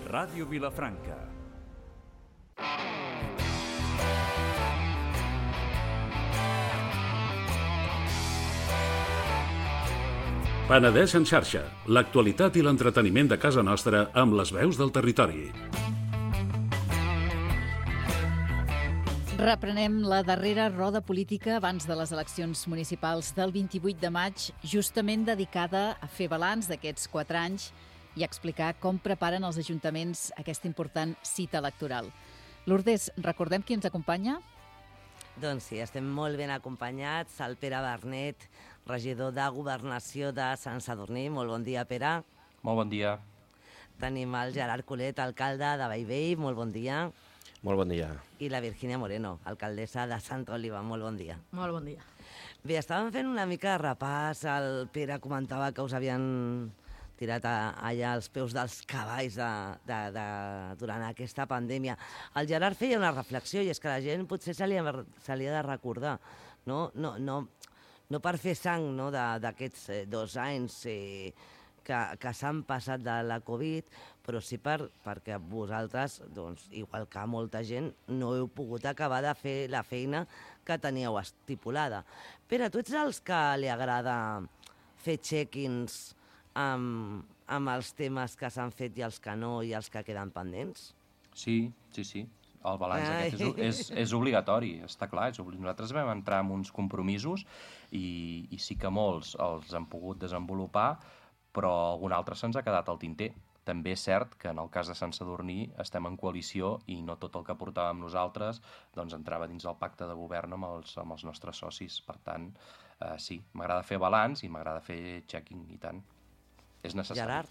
Ràdio Vilafranca. Penedès en xarxa, l'actualitat i l'entreteniment de casa nostra amb les veus del territori. Reprenem la darrera roda política abans de les eleccions municipals del 28 de maig, justament dedicada a fer balanç d'aquests 4 anys i a explicar com preparen els ajuntaments aquesta important cita electoral. Lourdes, recordem qui ens acompanya? Doncs sí, estem molt ben acompanyats. El Pere Bernet, regidor de Governació de Sant Sadurní. Molt bon dia, Pere. Molt bon dia. Tenim el Gerard Colet, alcalde de Bellvei. Molt bon dia. Molt bon dia. I la Virgínia Moreno, alcaldessa de Sant Oliva. Molt bon dia. Molt bon dia. Bé, estàvem fent una mica de repàs. El Pere comentava que us havien tirat allà els peus dels cavalls durant aquesta pandèmia. El Gerard feia una reflexió i és que la gent potser se li ha de recordar, no per fer sang d'aquests 2 anys que s'han passat de la Covid, però sí perquè vosaltres, doncs, igual que molta gent, no heu pogut acabar de fer la feina que teníeu estipulada. Pere, tu ets els que li agrada fer check-ins amb els temes que s'han fet i els que no i els que queden pendents? Sí. El balanç aquest és obligatori, està clar. Nosaltres vam entrar en uns compromisos i sí que molts els han pogut desenvolupar, però algun altre se'ns ha quedat al tinter. També és cert que en el cas de Sant Sadurní estem en coalició i no tot el que portàvem nosaltres doncs entrava dins el pacte de govern amb els nostres socis. Per tant, sí, m'agrada fer balanç i m'agrada fer checking i tant. És necessari. Gerard?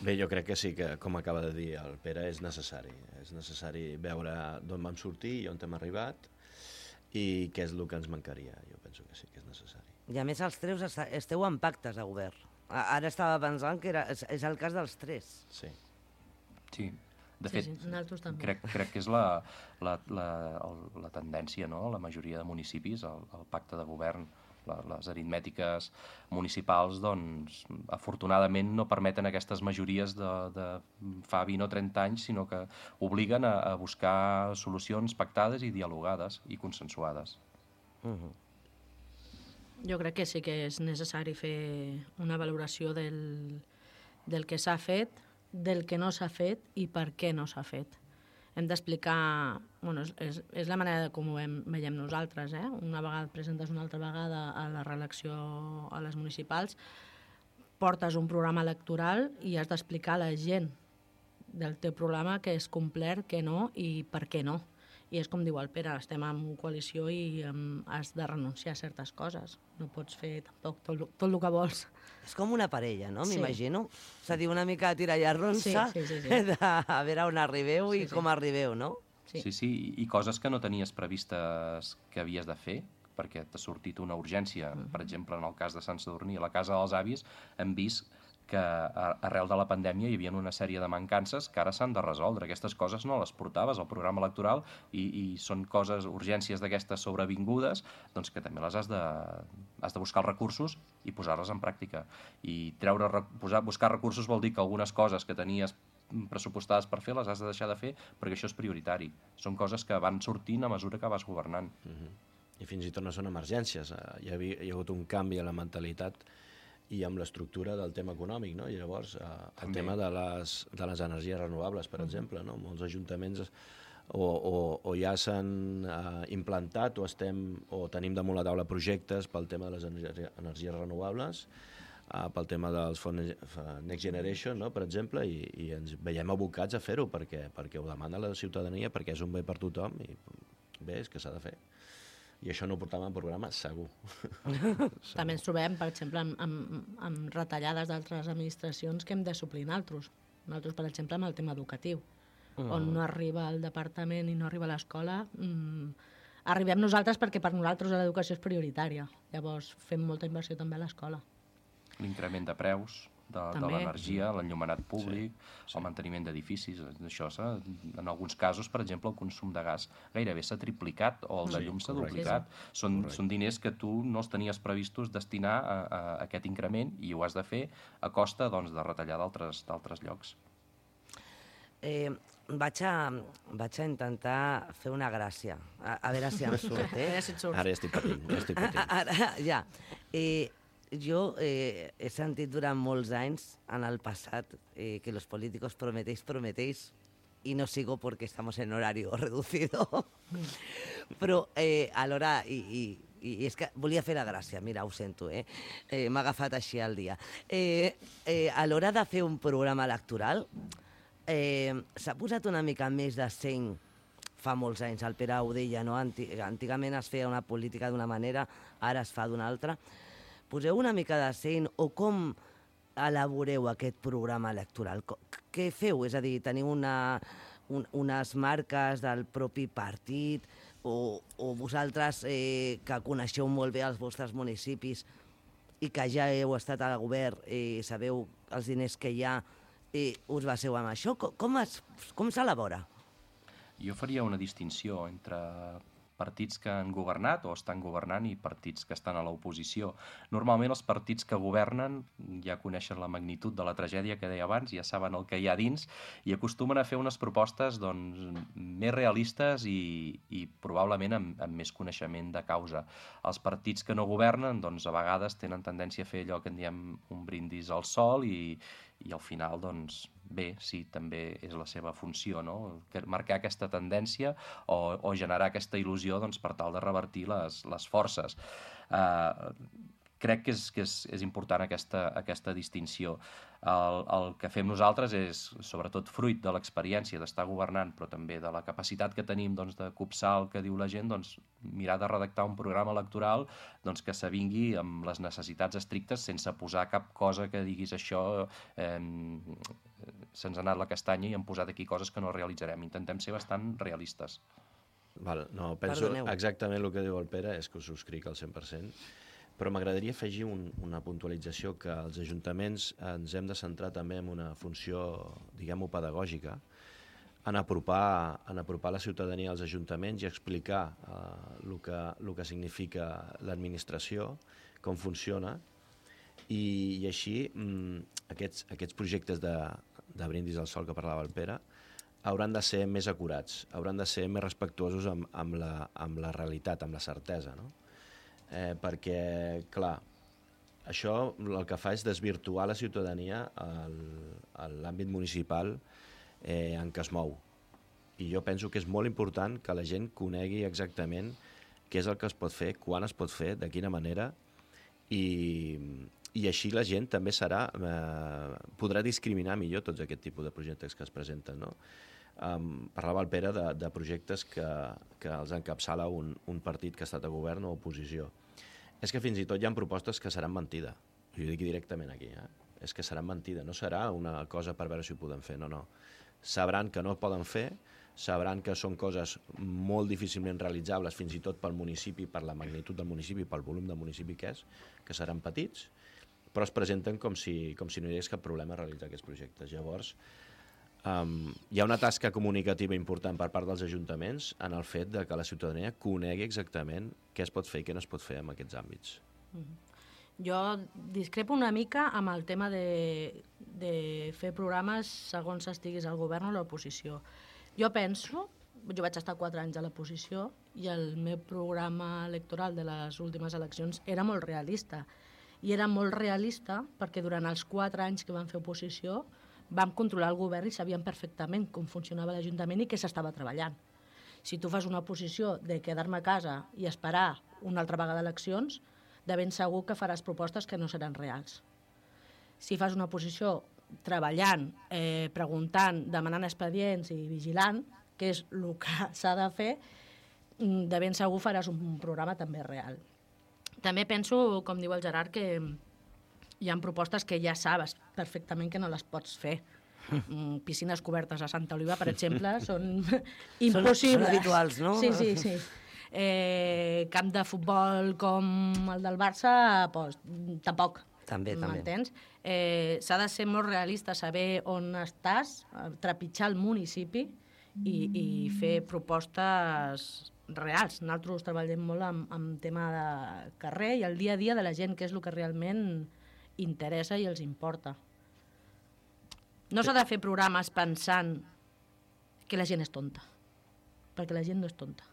Bé, jo crec que sí, que com acaba de dir el Pere, és necessari. És necessari veure d'on vam sortir i on hem arribat i què és el que ens mancaria. Jo penso que sí que és necessari. I a més els 3 esteu en pactes de govern. Ara estava pensant que és el cas dels 3. Sí. Sí. De fet, nosaltres també. crec que és la tendència, no? La majoria de municipis, el pacte de govern, les aritmètiques municipals, doncs, afortunadament no permeten aquestes majories de fa 20 o 30 anys, sinó que obliguen a buscar solucions pactades i dialogades i consensuades. Jo crec que sí que és necessari fer una valoració del que s'ha fet, del que no s'ha fet i per què no s'ha fet. Hem d'explicar, és la manera com ho veiem nosaltres, una vegada et presentes una altra vegada a la reelecció a les municipals, portes un programa electoral i has d'explicar a la gent del teu programa què és complert, què no i per què no. I és com diu el Pere, estem en coalició i has de renunciar a certes coses. No pots fer tampoc tot el que vols. És com una parella, no? Sí. M'imagino. És a dir, una mica de tirar i arronsa, Sí. a veure on arribeu i com arribeu, no? Sí, i coses que no tenies previstes que havies de fer, perquè t'ha sortit una urgència. Per exemple, en el cas de Sant Sadurní, a la casa dels avis, hem vist que arrel de la pandèmia hi havia una sèrie de mancances que ara s'han de resoldre. Aquestes coses no les portaves al programa electoral i són coses, urgències d'aquestes sobrevingudes, doncs que també les has de buscar els recursos i posar-les en pràctica. I buscar recursos vol dir que algunes coses que tenies pressupostades per fer les has de deixar de fer perquè això és prioritari. Són coses que van sortint a mesura que vas governant. I fins i tot no són emergències. Hi ha hagut un canvi a la mentalitat i amb l'estructura del tema econòmic, no? I llavors el tema de les energies renovables, per exemple, no? Molts ajuntaments o ja s'han implantat o tenim damunt la taula projectes pel tema de les energies renovables, pel tema dels fons Next Generation, no? Per exemple, i ens veiem abocats a fer-ho perquè ho demana la ciutadania, perquè és un bé per tothom i bé, és que s'ha de fer. I això no ho portàvem al programa, segur. També ens trobem, per exemple, amb retallades d'altres administracions que hem de suplir nosaltres. Nosaltres, per exemple, amb el tema educatiu, on no arriba el departament i no arriba l'escola, arribem nosaltres perquè per nosaltres l'educació és prioritària. Llavors fem molta inversió també a l'escola. L'increment de preus de l'energia, l'enllumenat públic, el manteniment d'edificis, això en alguns casos, per exemple, el consum de gas gairebé s'ha triplicat o el de llum s'ha duplicat. Són diners que tu no els tenies previstos destinar a aquest increment i ho has de fer a costa de retallar d'altres llocs. Vaig a intentar fer una gràcia, a veure si em surt, Ara ja estic patint. Ara, ja. Jo he sentit durant molts anys, en el passat, que los políticos prometéis, y no sigo porque estamos en horario reducido. Però alhora, i és que volia fer la gràcia, mira, ho sento, m'ha agafat així el dia. A l'hora de fer un programa electoral, s'ha posat una mica més de seny fa molts anys, el Pere ho deia, no? Antigament es feia una política d'una manera, ara es fa d'una altra. Poseu una mica de seny, o com elaboreu aquest programa electoral? Què feu? És a dir, teniu unes marques del propi partit, o vosaltres que coneixeu molt bé els vostres municipis i que ja heu estat al govern i sabeu els diners que hi ha, us baseu en això? Com s'elabora? Jo faria una distinció entre partits que han governat o estan governant i partits que estan a l'oposició. Normalment els partits que governen ja coneixen la magnitud de la tragèdia que deia abans, ja saben el que hi ha dins i acostumen a fer unes propostes més realistes i probablement amb més coneixement de causa. Els partits que no governen a vegades tenen tendència a fer allò que en diem un brindis al sol i al final, bé, sí, també és la seva funció, no? Marcar aquesta tendència o generar aquesta il·lusió per tal de revertir les forces. Crec que és important aquesta distinció. El que fem nosaltres és, sobretot fruit de l'experiència d'estar governant, però també de la capacitat que tenim de copsar el que diu la gent, mirar de redactar un programa electoral que s'avingui amb les necessitats estrictes sense posar cap cosa que diguis això se'ns ha anat la castanya i hem posat aquí coses que no realitzarem. Intentem ser bastant realistes. No, penso exactament el que diu el Pere, és que ho subscric al 100%, però m'agradaria afegir una puntualització, que els ajuntaments ens hem de centrar també en una funció, diguem-ho, pedagògica, en apropar la ciutadania als ajuntaments i explicar el que significa l'administració, com funciona, i així aquests projectes de brindis al sol que parlava el Pere hauran de ser més acurats, hauran de ser més respectuosos amb la realitat, amb la certesa, no? Perquè, clar, això el que fa és desvirtuar la ciutadania a l'àmbit municipal en què es mou. I jo penso que és molt important que la gent conegui exactament què és el que es pot fer, quan es pot fer, de quina manera, i així la gent també podrà discriminar millor tots aquest tipus de projectes que es presenten, no? Parlava el Pere de projectes que els encapçala un partit que ha estat a govern o oposició. És que fins i tot hi ha propostes que seran mentida. Jo ho dic directament aquí. És que seran mentida. No serà una cosa per veure si ho podem fer. No. Sabran que no ho poden fer, sabran que són coses molt difícilment realitzables, fins i tot pel municipi, per la magnitud del municipi, pel volum del municipi que és, que seran petits, però es presenten com si no hi hagués cap problema a realitzar aquests projectes. Llavors, hi ha una tasca comunicativa important per part dels ajuntaments en el fet de que la ciutadania conegui exactament què es pot fer i què no es pot fer en aquests àmbits. Jo discrepo una mica amb el tema de fer programes segons estiguis al govern o a l'oposició. Jo vaig estar 4 anys a l'oposició i el meu programa electoral de les últimes eleccions era molt realista. I era molt realista perquè durant els 4 anys que vam fer oposició vam controlar el govern i sabíem perfectament com funcionava l'Ajuntament i què s'estava treballant. Si tu fas una oposició de quedar-me a casa i esperar una altra vegada eleccions, de ben segur que faràs propostes que no seran reals. Si fas una oposició treballant, preguntant, demanant expedients i vigilant, que és el que s'ha de fer, de ben segur faràs un programa també real. També penso, com diu el Gerard, que hi ha propostes que ja sabes perfectament que no les pots fer. Piscines cobertes a Santa Oliva, per exemple, són impossibles. Són habituals, no? Sí. Camp de futbol com el del Barça, doncs, tampoc. També. M'entens? S'ha de ser molt realista, saber on estàs, trepitjar el municipi i fer propostes reals. Nosaltres treballem molt amb tema de carrer i el dia a dia de la gent, que és el que realment interessa i els importa. No s'ha de fer programes pensant que la gent és tonta. Perquè la gent no és tonta.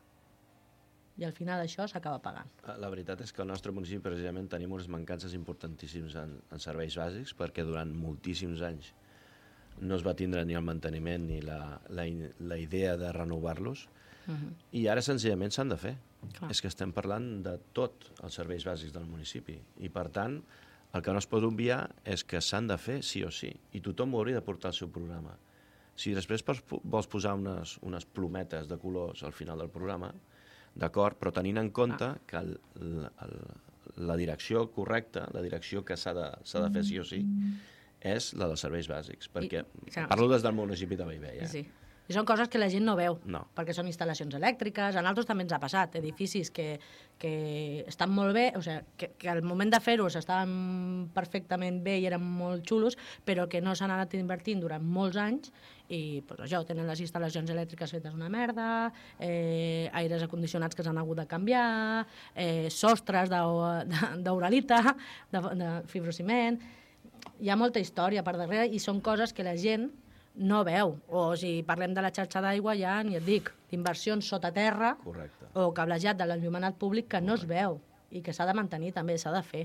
I al final això s'acaba pagant. La veritat és que al nostre municipi precisament tenim unes mancances importantíssims en serveis bàsics, perquè durant moltíssims anys no es va tindre ni el manteniment ni la idea de renovar-los, i ara senzillament s'han de fer. Clar. És que estem parlant de tot els serveis bàsics del municipi, i per tant el que no es pot obviar és que s'han de fer sí o sí, i tothom ho hauria de portar al seu programa. Si després vols posar unes plometes de colors al final del programa, d'acord, però tenint en compte que la direcció correcta, la direcció que s'ha de fer sí o sí, és la dels serveis bàsics, perquè parlo des del municipi de Bellvei. Sí. I són coses que la gent no veu, No. perquè són instal·lacions elèctriques, a nosaltres també ens ha passat, edificis que estan molt bé, o sigui, que al moment de fer-ho estaven perfectament bé i eren molt xulos, però que no s'han anat invertint durant molts anys, i pues, això, tenen les instal·lacions elèctriques fetes una merda, aires acondicionats que s'han hagut de canviar, sostres d'uralita, de fibrociment. Hi ha molta història per darrere i són coses que la gent no veu. O si parlem de la xarxa d'aigua, ja ni et dic, d'inversions sota terra. Correcte. O cablejat de l'enllumenat públic que no es veu i que s'ha de mantenir també, s'ha de fer.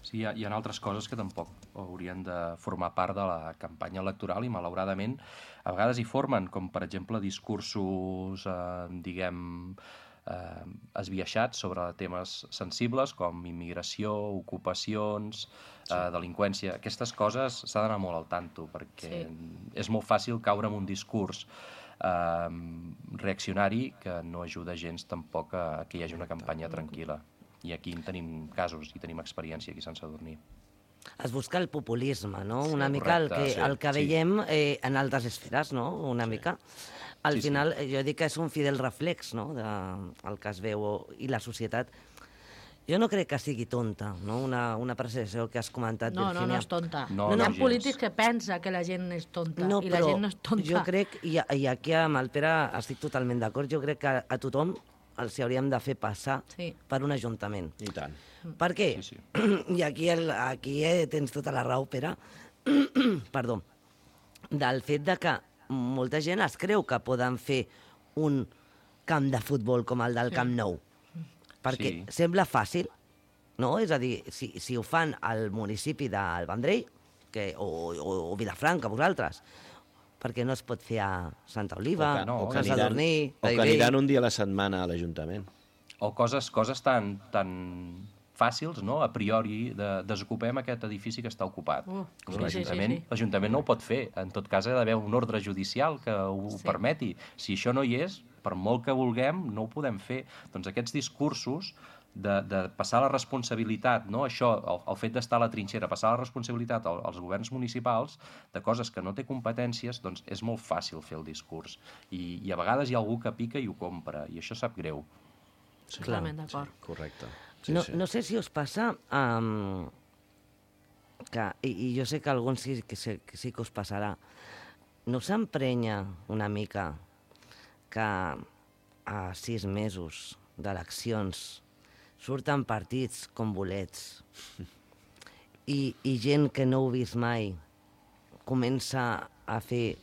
Sí, hi ha altres coses que tampoc haurien de formar part de la campanya electoral i, malauradament, a vegades hi formen, com, per exemple, discursos, esbiaixats sobre temes sensibles com immigració, ocupacions, delinqüència. Aquestes coses s'ha d'anar molt al tanto, perquè és molt fàcil caure en un discurs reaccionari que no ajuda gens tampoc a que hi hagi una campanya tranquil·la. I aquí en tenim casos i tenim experiència aquí a Sant Sadurní. Es busca el populisme, no? Una mica el que veiem en altres esferes, no? Una mica. Al final, jo dic que és un fidel reflex, no?, del que es veu, i la societat. Jo no crec que sigui tonta, no?, una percepció que has comentat, Virginia. No és tonta. No, Hi ha gens. polítics que pensa que la gent és tonta, No, i la gent no és tonta. jo crec, i aquí amb el Pere estic totalment d'acord, jo crec que a tothom els hauríem de fer passar per un ajuntament. I tant. Per què? Sí. I aquí tens tota la raó, Pere, perdó, del fet de que molta gent es creu que poden fer un camp de futbol com el del Camp Nou, perquè sembla fàcil, no? És a dir, si ho fan al municipi del Vendrell o Vilafranca, vosaltres, perquè no es pot fer a Santa Oliva, o que Sant Sadurní, o que aniran un dia a la setmana a l'Ajuntament. O coses tan fàcils, no?, a priori, desocupem aquest edifici que està ocupat. L'Ajuntament no ho pot fer. En tot cas, ha d'haver un ordre judicial que ho permeti. Si això no hi és, per molt que vulguem, no ho podem fer. Doncs aquests discursos de passar la responsabilitat, no? Això, el fet d'estar a la trinxera, passar la responsabilitat als governs municipals de coses que no té competències, doncs és molt fàcil fer el discurs. I a vegades hi ha algú que pica i ho compra, i això sap greu. Totalment d'acord. Correcte. No sé si us passa i jo sé que a alguns sí que us passarà, no s'emprenya una mica que a 6 mesos d'eleccions surten partits com bolets i gent que no heu vist mai comença a fer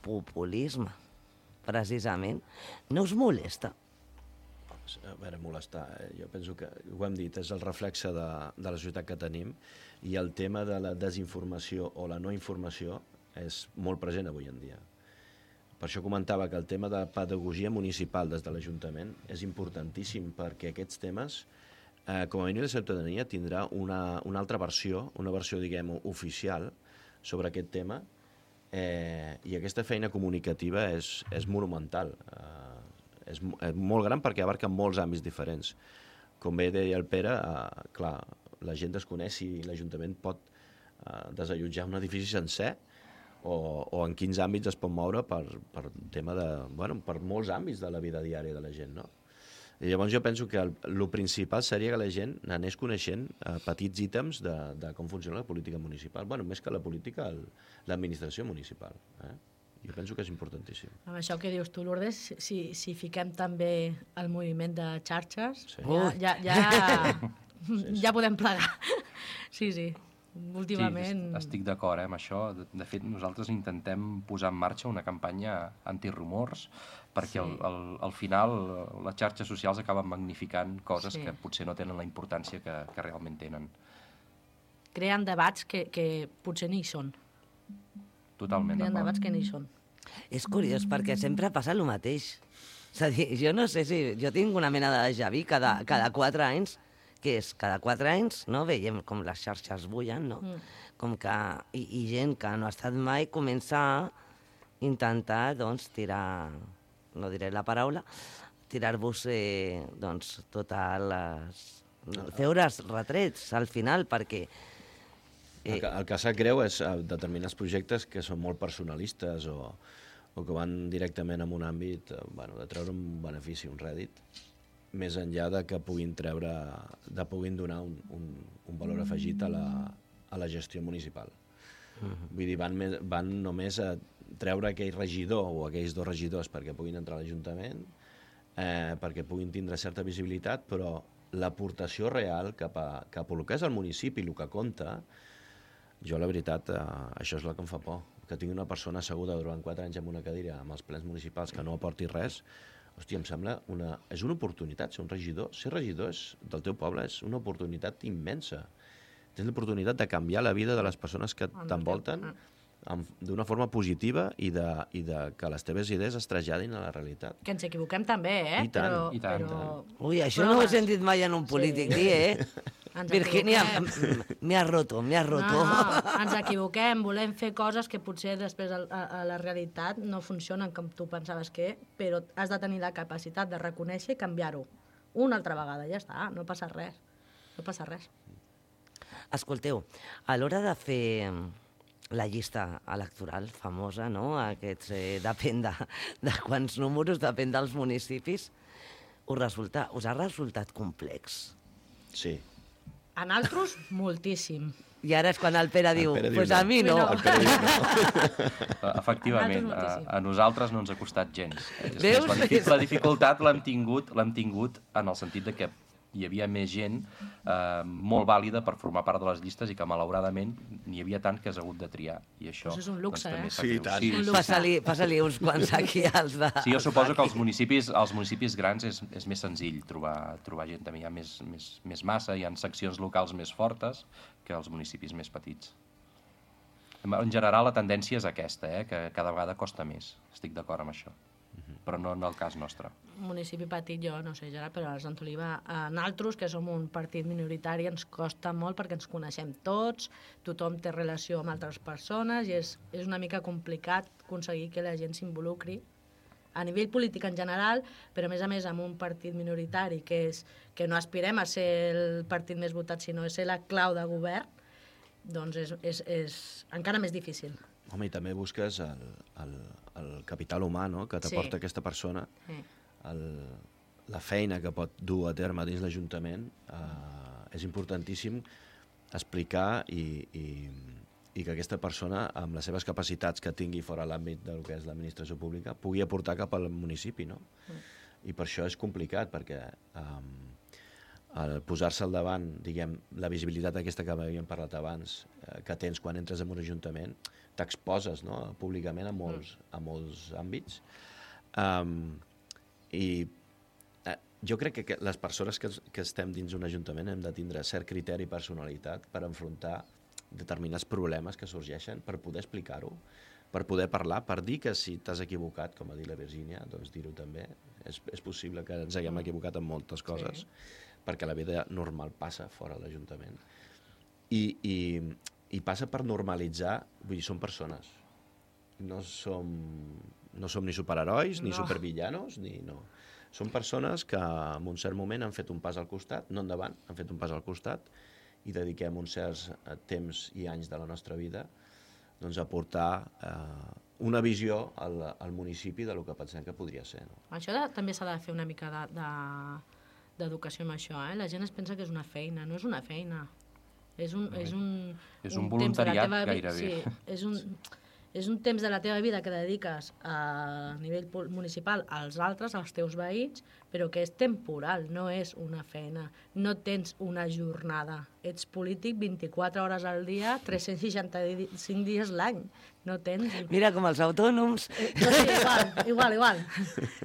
populisme, precisament? No us molesta? A veure, molestar. Jo penso que, ho hem dit, és el reflexe de la societat que tenim, i el tema de la desinformació o la no informació és molt present avui en dia. Per això comentava que el tema de pedagogia municipal des de l'Ajuntament és importantíssim, perquè aquests temes, com a mínim la ciutadania, tindrà una altra versió, una versió, diguem, oficial sobre aquest tema, i aquesta feina comunicativa és monumental. És molt gran perquè abarca molts àmbits diferents. Com bé deia el Pere, clar, la gent desconeix si l'Ajuntament pot desallotjar un edifici sencer o en quins àmbits es pot moure per tema de, per molts àmbits de la vida diària de la gent, no? I llavors jo penso que el principal seria que la gent anés coneixent petits ítems de com funciona la política municipal. Més que la política, l'administració municipal. Jo penso que és importantíssim. Amb això que dius tu, Lourdes, si fiquem també el moviment de xarxes, ja podem plegar. Sí. últimament... Sí, estic d'acord amb això. De fet, nosaltres intentem posar en marxa una campanya antirumors perquè al final les xarxes socials acaben magnificant coses que potser no tenen la importància que realment tenen. Creen debats que potser ni hi són. Totalment Creen d'acord. debats que ni hi són. És curiós, perquè sempre passa el mateix. És a dir, jo no sé si... Jo tinc una mena de déjà vu cada 4 anys, que és cada 4 anys, no? Veiem com les xarxes bullen, no? Com que... I gent que no ha estat mai comença a intentar, doncs, tirar... No diré la paraula, tirar-vos, doncs, totes les... Feure's retrets al final, perquè... El que sap greu és determinats projectes que són molt personalistes o que van directament en un àmbit de treure un benefici, un rèdit, més enllà de que puguin donar un valor afegit a la gestió municipal. Vull dir, van només a treure aquell regidor o aquells 2 regidors perquè puguin entrar a l'Ajuntament, perquè puguin tindre certa visibilitat, però l'aportació real cap a el que és el municipi, el que compta, jo, la veritat, això és el que em fa por. Que tingui una persona asseguda durant 4 anys en una cadira amb els plens municipals que no aporti res, hòstia, em sembla és una oportunitat ser un regidor. Ser regidor del teu poble és una oportunitat immensa. Tens l'oportunitat de canviar la vida de les persones que t'envolten d'una forma positiva i de que les teves idees es traslladin a la realitat. Que ens equivoquem també, I tant, i tant. Ui, això no ho he sentit mai en un polític dir, Virginia, me has roto. No, ens equivoquem, volem fer coses que potser després a la realitat no funcionen com tu pensaves però has de tenir la capacitat de reconèixer i canviar-ho. Una altra vegada, ja està, no passa res. No passa res. Escolteu, a l'hora de fer la llista electoral famosa, no? Aquests, depèn de quants números, depèn dels municipis, us ha resultat complex? Sí. A nosaltres, moltíssim. I ara és quan el Pere diu, pues a mi no. Efectivament, a nosaltres no ens ha costat gens. Veus? La dificultat l'hem tingut en el sentit de que hi havia més gent molt vàlida per formar part de les llistes i que malauradament n'hi havia tant que has hagut de triar. I això és un luxe, també Sí, tant. Sí. Passa-li uns quants aquí als de... Sí, jo suposo que als municipis grans és més senzill trobar gent. També hi ha més massa, hi ha seccions locals més fortes que als municipis més petits. En general, la tendència és aquesta, que cada vegada costa més. Estic d'acord amb això. Però no en el cas nostre. Municipi petit, jo no sé, Gerard, però a Sant Oliva, nosaltres, que som un partit minoritari, ens costa molt perquè ens coneixem tots, tothom té relació amb altres persones i és una mica complicat aconseguir que la gent s'involucri a nivell polític en general, però a més amb un partit minoritari que no aspirem a ser el partit més votat, sinó a ser la clau de govern, doncs és encara més difícil. Home, i també busques el capital humà, no?, que t'aporta aquesta persona, la feina que pot dur a terme dins l'Ajuntament. És importantíssim explicar i que aquesta persona, amb les seves capacitats que tingui fora l'àmbit del que és l'administració pública, pugui aportar cap al municipi, no? I per això és complicat, perquè el posar-se al davant, diguem, la visibilitat aquesta que havíem parlat abans, que tens quan entres en un ajuntament, t'exposes, no?, públicament a molts àmbits. I jo crec que les persones que estem dins un ajuntament hem de tindre cert criteri i personalitat per enfrontar determinats problemes que sorgeixen, per poder explicar-ho, per poder parlar, per dir que si t'has equivocat, com ha dit la Virgínia, doncs dir-ho també. És possible que ens haguem equivocat en moltes coses, perquè la vida normal passa fora de l'Ajuntament. I passa per normalitzar, vull dir, som persones. No som ni superherois, ni supervillanos, Som persones que en un cert moment han fet un pas al costat, no endavant, han fet un pas al costat, i dediquem uns certs temps i anys de la nostra vida doncs, a portar una visió al municipi del que pensem que podria ser. No? Això també s'ha de fer una mica d'educació amb això. La gent es pensa que és una feina, no és una feina. És un voluntariat gairebé. Sí, és un temps de la teva vida que dediques a nivell municipal als altres, als teus veïns, però que és temporal, no és una feina. No tens una jornada. Ets polític 24 hores al dia, 365 dies l'any. No tens... Mira, com els autònoms. Sí, igual.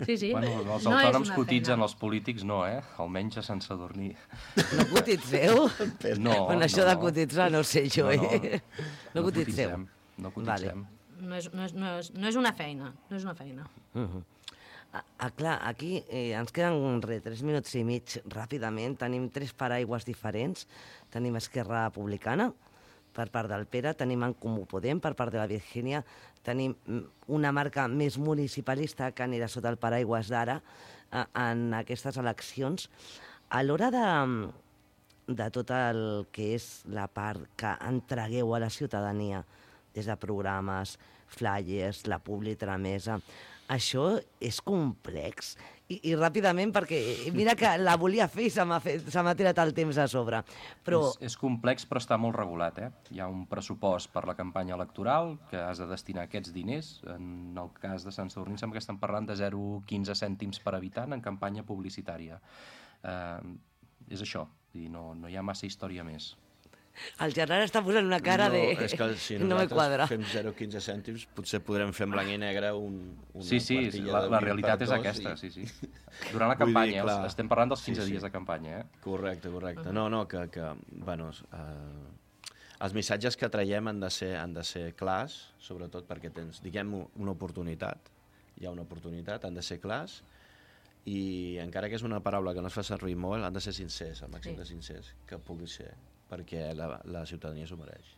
Sí. Bueno, els autònoms cotitzen, els polítics no, Almenys a Sant Sadurní. No cotitzeu? No. Bueno, això de cotitzar no sé jo, No cotitzeu. No cotitzem. No és una feina, no és una feina. Clar, aquí ens queden 3 minuts i mig ràpidament. Tenim 3 paraigües diferents. Tenim Esquerra Republicana, per part del Pere, tenim En Comú Podem, per part de la Virgínia, tenim una marca més municipalista que anirà sota el paraigües d'Ara en aquestes eleccions. A l'hora de tot el que és la part que entregueu a la ciutadania, des de programes, flyers, la publitramesa, això és complex. I ràpidament, perquè mira que la volia fer i se m'ha tirat el temps a sobre. Però... És complex, però està molt regulat. Hi ha un pressupost per la campanya electoral que has de destinar aquests diners. En el cas de Sant Sadurní sembla que estan parlant de 0,15 cèntims per habitant en campanya publicitària. És això, no hi ha massa història més. El Gerard està posant una cara de... És que si no me quadra. Fem 0,15 cèntims, potser podrem fer en blanc i negre una Sí, la realitat és aquesta, sí. Durant la campanya, estem parlant dels 15 dies de campanya, Correcte. No, que bueno, els missatges que traiem han de ser clars, sobretot perquè tens, diguem, una oportunitat. Hi ha una oportunitat, han de ser clars, i encara que és una paraula que no es fa servir molt, han de ser sincers, el màxim de sincers que pugui ser, perquè la ciutadania s'ho mereix.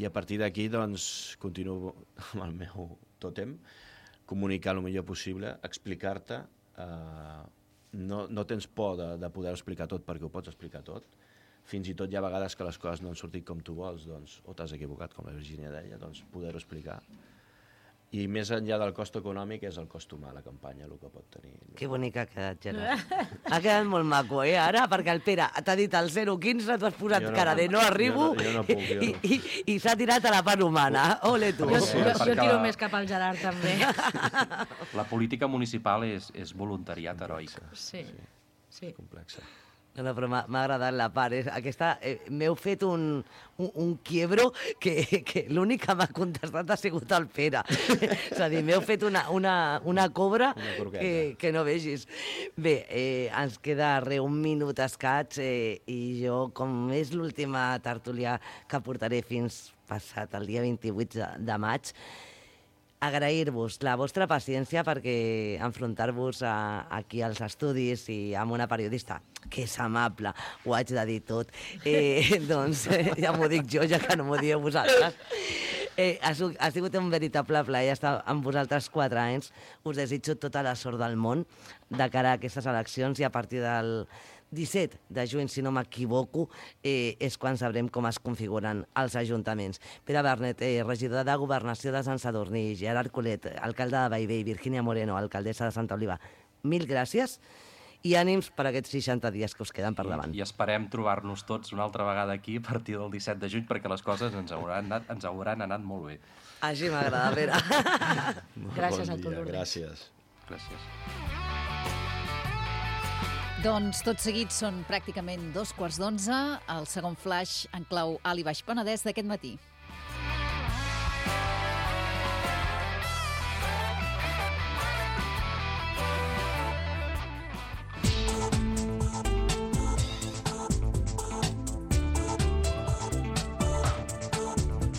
I a partir d'aquí, doncs, continuo amb el meu tòtem, comunicar el millor possible, explicar-te, no tens por de poder explicar tot perquè ho pots explicar tot. Fins i tot hi ha vegades que les coses no han sortit com tu vols, doncs, o t'has equivocat, com la Virgínia deia, doncs poder-ho explicar. I més enllà del cost econòmic és el cost humà, la campanya, el que pot tenir. Que bonic ha quedat, Gerard. Ha quedat molt maco, ara, perquè el Pere t'ha dit el 0,15, tu has posat cara de no arribo, jo no puc. I s'ha tirat a la part humana. Ole, tu. Jo tiro més cap al Gerard, també. La política municipal és voluntariat heroic. Sí. Complexa. No, però m'ha agradat la part. Aquesta, m'heu fet un quiebro que l'únic que m'ha contestat ha sigut el Pere. És a dir, m'heu fet una cobra que no vegis. Bé, ens queda un minut escaig i jo, com és l'última tertúlia que portaré fins passat el dia 28 de maig, agrair-vos la vostra paciència perquè enfrontar-vos aquí als estudis i amb una periodista que és amable, ho haig de dir tot, doncs ja m'ho dic jo, ja que no m'ho dieu vosaltres. Ha sigut un veritable plaer estar amb vosaltres 4 anys. Us desitjo tota la sort del món de cara a aquestes eleccions i a partir del 17 de juny, si no m'equivoco, és quan sabrem com es configuren els ajuntaments. Pere Bernet, regidor de Governació de Sant Sadurní, Gerard Colet, alcalde de Bellvei, Virgínia Moreno, alcaldessa de Santa Oliva, mil gràcies i ànims per aquests 60 dies que us queden per davant. I esperem trobar-nos tots una altra vegada aquí a partir del 17 de juny perquè les coses ens hauran anat molt bé. Així m'agrada, Pere. Gràcies a tu, Lourdes. Gràcies. Doncs tot seguit són pràcticament 11:15, el segon flash en clau Alt i Baix Penedès d'aquest matí.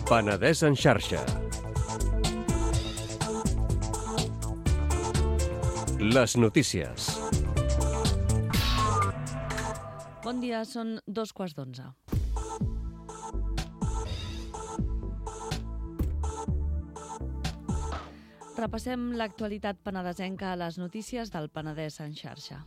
Penedès en xarxa. Les notícies. Bon dia, són 11:15. Repassem l'actualitat penedesenca a les notícies del Penedès en xarxa.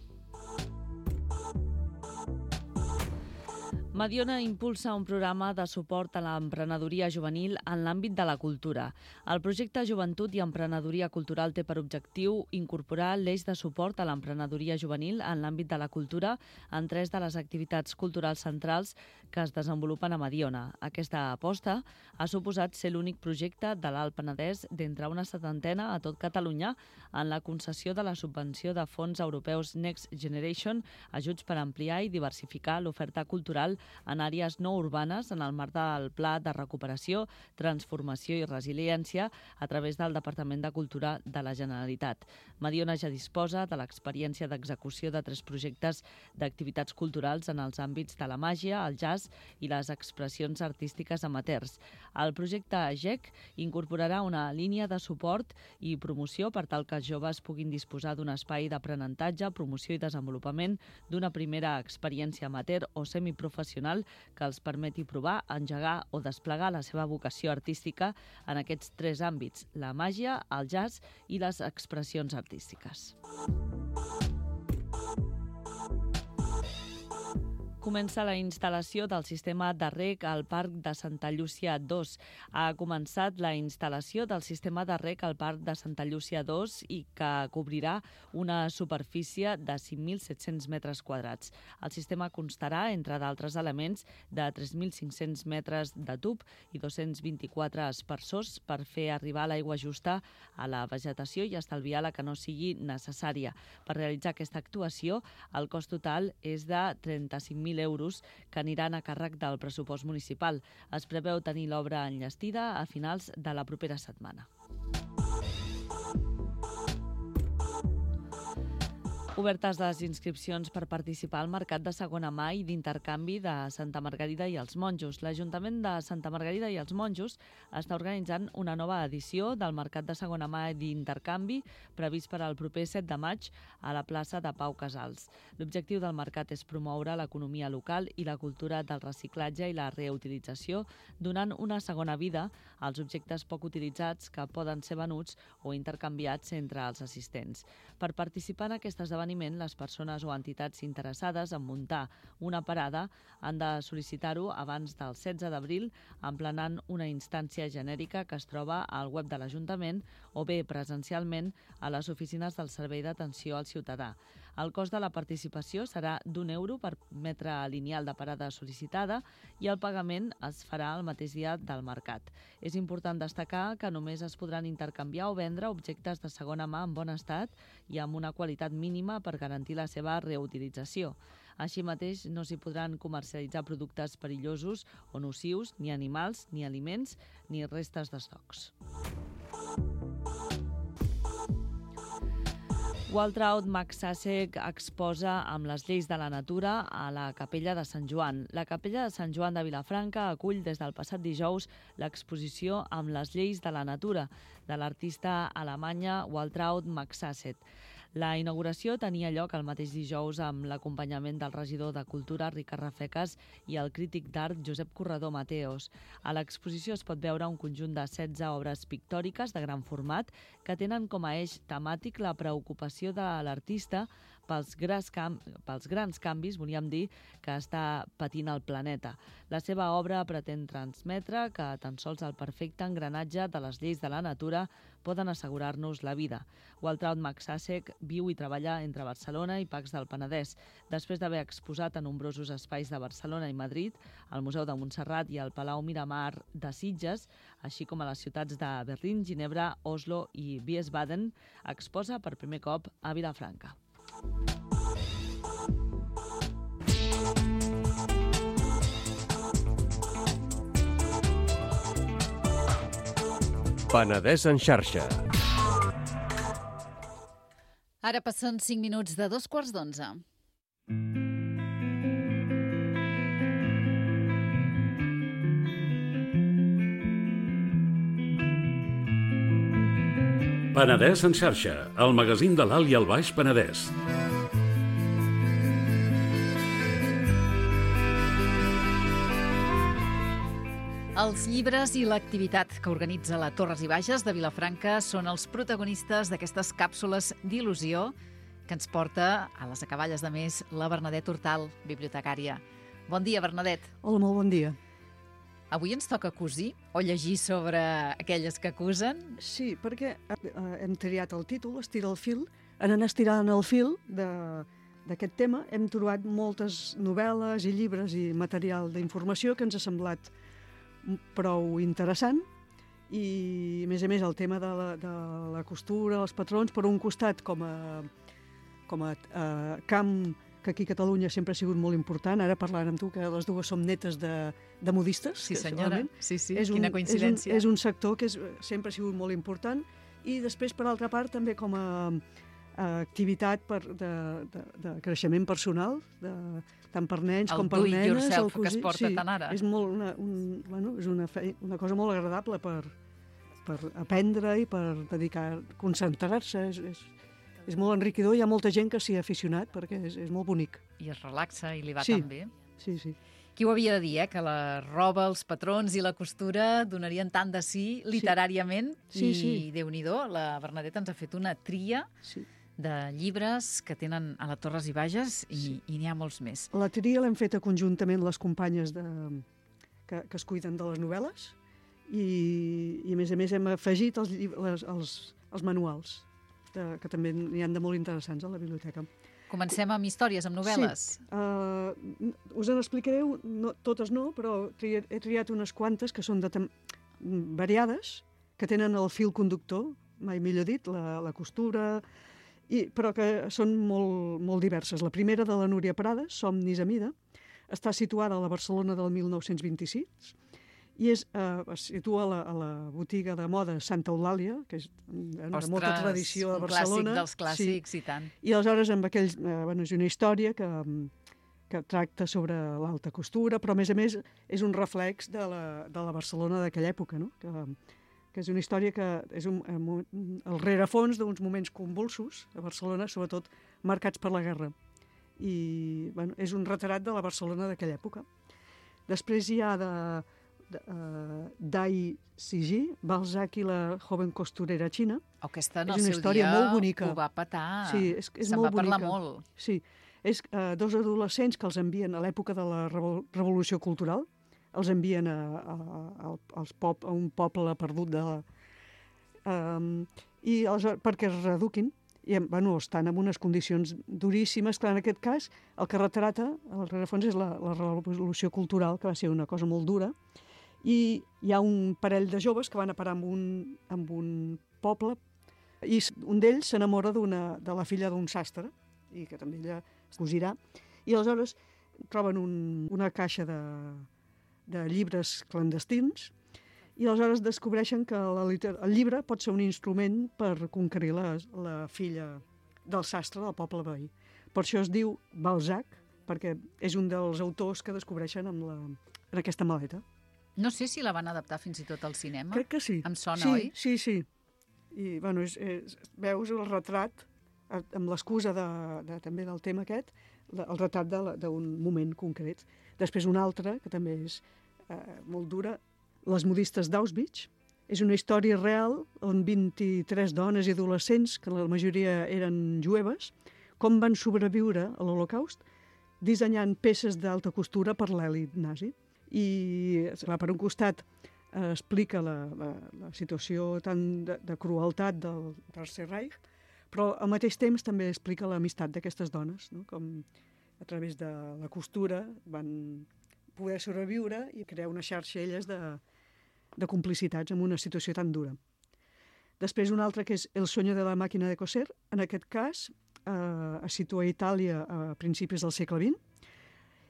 Mediona impulsa un programa de suport a l'emprenedoria juvenil en l'àmbit de la cultura. El projecte Joventut i Emprenedoria Cultural té per objectiu incorporar l'eix de suport a l'emprenedoria juvenil en l'àmbit de la cultura en 3 de les activitats culturals centrals que es desenvolupen a Mediona. Aquesta aposta ha suposat ser l'únic projecte de l'Alt Penedès d'entre una 70 a tot Catalunya en la concessió de la subvenció de fons europeus Next Generation, ajuts per ampliar i diversificar l'oferta cultural en àrees no urbanes en el marc del Pla de Recuperació, Transformació i Resiliència a través del Departament de Cultura de la Generalitat. Mediona ja disposa de l'experiència d'execució de 3 projectes d'activitats culturals en els àmbits de la màgia, el jazz i les expressions artístiques amateurs. El projecte GEC incorporarà una línia de suport i promoció per tal que els joves puguin disposar d'un espai d'aprenentatge, promoció i desenvolupament d'una primera experiència amateur o semiprofessional que els permeti provar, engegar o desplegar la seva vocació artística en aquests 3 àmbits, la màgia, el jazz i les expressions artístiques. Comença la instal·lació del sistema de reg al Parc de Santa Llúcia 2. Ha començat la instal·lació del sistema de reg al Parc de Santa Llúcia 2 i que cobrirà una superfície de 5.700 metres quadrats. El sistema constarà, entre d'altres elements, de 3.500 metres de tub i 224 aspersors per fer arribar l'aigua justa a la vegetació i estalviar la que no sigui necessària. Per realitzar aquesta actuació, el cost total és de 35.000 euros que aniran a càrrec del pressupost municipal. Es preveu tenir l'obra enllestida a finals de la propera setmana. Obertes les inscripcions per participar al Mercat de Segona Mà i d'Intercanvi de Santa Margarida i els Monjos. L'Ajuntament de Santa Margarida i els Monjos està organitzant una nova edició del Mercat de Segona Mà i d'Intercanvi previst per al proper 7 de maig a la plaça de Pau Casals. L'objectiu del mercat és promoure l'economia local i la cultura del reciclatge i la reutilització, donant una segona vida als objectes poc utilitzats que poden ser venuts o intercanviats entre els assistents. Per participar en aquest esdeveniment, les persones o entitats interessades en muntar una parada han de sol·licitar-ho abans del 16 d'abril emplenant una instància genèrica que es troba al web de l'Ajuntament o bé presencialment a les oficines del Servei d'Atenció al Ciutadà. El cost de la participació serà d'1 € per metre lineal de parada sol·licitada i el pagament es farà el mateix dia del mercat. És important destacar que només es podran intercanviar o vendre objectes de segona mà en bon estat i amb una qualitat mínima per garantir la seva reutilització. Així mateix, no s'hi podran comercialitzar productes perillosos o nocius, ni animals, ni aliments, ni restes d'estocs. Waltraud Maxàsec exposa amb les lleis de la natura a la Capella de Sant Joan. La Capella de Sant Joan de Vilafranca acull des del passat dijous l'exposició amb les lleis de la natura de l'artista alemanya Waltraud Maxàsec. La inauguració tenia lloc el mateix dijous amb l'acompanyament del regidor de Cultura, Ricard Rafecas, i el crític d'art Josep Corredor Mateos. A l'exposició es pot veure un conjunt de 16 obres pictòriques de gran format que tenen com a eix temàtic la preocupació de l'artista pels grans canvis, volíem dir, que està patint el planeta. La seva obra pretén transmetre que tan sols el perfecte engranatge de les lleis de la natura poden assegurar-nos la vida. Waltraud Maxàsec viu i treballa entre Barcelona i Pacs del Penedès. Després d'haver exposat a nombrosos espais de Barcelona i Madrid, al Museu de Montserrat i al Palau Miramar de Sitges, així com a les ciutats de Berlín, Ginebra, Oslo i Wiesbaden, exposa per primer cop a Vilafranca. Penedès en xarxa. Ara passen 5 minuts de 2:15. Penedès en xarxa, el magazín de l'Alt i el Baix Penedès. Els llibres i l'activitat que organitza la Torres i Bages de Vilafranca són els protagonistes d'aquestes càpsules d'il·lusió que ens porta a les acaballes de mes la Bernadette Hortal, bibliotecària. Bon dia, Bernadet. Hola, molt bon dia. Avui ens toca cosir o llegir sobre aquelles que acusen? Sí, perquè hem triat el títol, Estira el fil. En anar estirant el fil d'aquest tema hem trobat moltes novel·les i llibres i material d'informació que ens ha semblat prou interessant i, a més, el tema de la costura, els patrons, per un costat com a camp que aquí a Catalunya sempre ha sigut molt important. Ara parlant amb tu, que les dues som netes de modistes. Sí, senyora. Sí, quina coincidència. És un sector que sempre ha sigut molt important i després, per altra part, també com a activitat de creixement personal, tant per nens com per nenes. El do it yourself que es porta tant ara. És una cosa molt agradable per aprendre i per dedicar, concentrar-se. És molt enriquidor, hi ha molta gent que s'hi ha aficionat perquè és molt bonic. I es relaxa i li va tan bé. Sí. Qui ho havia de dir, que la roba, els patrons i la costura donarien tant de sí literàriament? Sí. I Déu-n'hi-do, la Bernadet ens ha fet una tria de llibres que tenen a la Torres i Bages i n'hi ha molts més. La tria l'hem feta conjuntament les companyes que es cuiden de les novel·les i a més hem afegit els manuals, que també n'hi ha de molt interessants a la biblioteca. Comencem amb històries, amb novel·les. Sí. Us en explicaré, totes no, però he triat unes quantes que són variades, que tenen el fil conductor, mai millor dit, la costura, però que són molt diverses. La primera, de la Núria Prades, Somnis a mida, està situada a la Barcelona del 1926, i es situa a la botiga de moda Santa Eulàlia, que és de molta tradició a Barcelona. Un clàssic dels clàssics, i tant. I aleshores és una història que tracta sobre l'alta costura, però a més és un reflex de la Barcelona d'aquella època, no? Que és una història que és el rerefons d'uns moments convulsos a Barcelona, sobretot marcats per la guerra. I és un retrat de la Barcelona d'aquella època. Després hi ha Dai Siji, Balzac i la joven costurera xina. Aquesta en el seu dia ho va petar. Sí, se'n va parlar molt. Sí, és dos adolescents que els envien a l'època de la Revolució Cultural, els envien a un poble perdut i perquè es reeduquin. I estan en unes condicions duríssimes. Clar, en aquest cas, el que retrata, el rerefons, és la Revolució Cultural, que va ser una cosa molt dura, i hi ha un parell de joves que van a parar en un poble i un d'ells s'enamora de la filla d'un sastre i que també ella cosirà, i aleshores troben una caixa de llibres clandestins i aleshores descobreixen que el llibre pot ser un instrument per conquerir la filla del sastre del poble veí. Per això es diu Balzac, perquè és un dels autors que descobreixen en aquesta maleta. No sé si la van adaptar fins i tot al cinema. Crec que sí. Em sona, oi? Sí. I, veus el retrat, amb l'excusa també del tema aquest, el retrat d'un moment concret. Després un altre, que també és molt dura, Les modistes d'Auschwitz. És una història real on 23 dones i adolescents, que la majoria eren jueves, com van sobreviure a l'Holocaust dissenyant peces d'alta costura per l'elit nazi. I, per un costat, explica la situació tan de crueltat del Tercer Reich, però al mateix temps també explica l'amistat d'aquestes dones, no? Com a través de la costura van poder sobreviure i crear una xarxa elles de complicitats en una situació tan dura. Després un altre que és El sueño de la máquina de coser, en aquest cas es situa a Itàlia a principis del segle XX,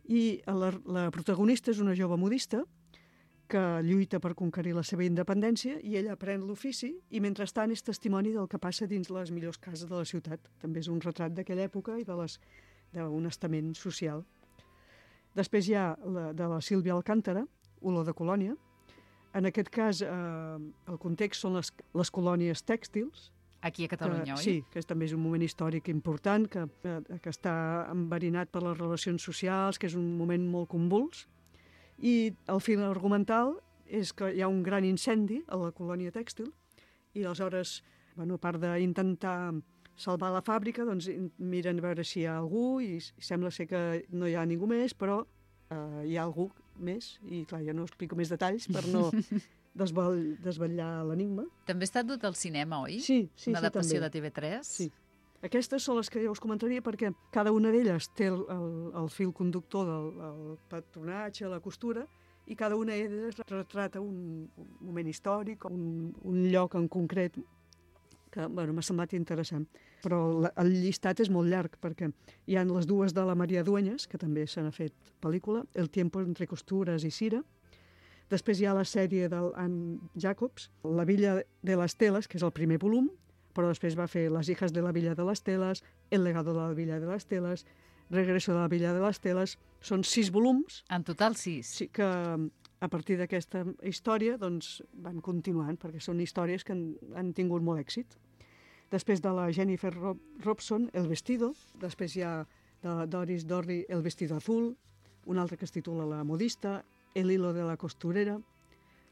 i la protagonista és una jove modista que lluita per conquerir la seva independència i ella aprèn l'ofici i mentrestant és testimoni del que passa dins les millors cases de la ciutat. També és un retrat d'aquella època i d'un estament social. Després hi ha de la Sílvia Alcántara, Olor de colònia. En aquest cas el context són les colònies tèxtils. Aquí a Catalunya, oi? Sí, que també és un moment històric important, que està enverinat per les relacions socials, que és un moment molt convuls. I el fil argumental és que hi ha un gran incendi a la colònia tèxtil i aleshores, a part d'intentar salvar la fàbrica, doncs miren a veure si hi ha algú i sembla ser que no hi ha ningú més, però hi ha algú més, i clar, jo no explico més detalls per no desvetllar l'enigma. També ha estat dut al cinema, oi? Sí, una adaptació també. de TV3? Sí. Aquestes són les que jo us comentaria perquè cada una d'elles té el fil conductor del patronatge, la costura, i cada una d'elles retrata un moment històric, un lloc en concret que m'ha semblat interessant. Però el llistat és molt llarg perquè hi ha les dues de la Maria Dueñas, que també se n'ha fet pel·lícula, El tiempo entre costuras i Cira. Després hi ha la sèrie del Anne Jacobs, La Villa de les Teles, que és el primer volum, però després va fer Las hijas de la Villa de les Teles, El legado de la Villa de les Teles, Regreso de la Villa de les Teles. Són 6 volums. En total 6. Sí, que a partir d'aquesta història doncs, van continuant, perquè són històries que han tingut molt èxit. Després de la Jennifer Robson, El vestido. Després hi ha de la Doris Dorry, El vestido azul. Un altre que es titula La modista, El hilo de la costurera.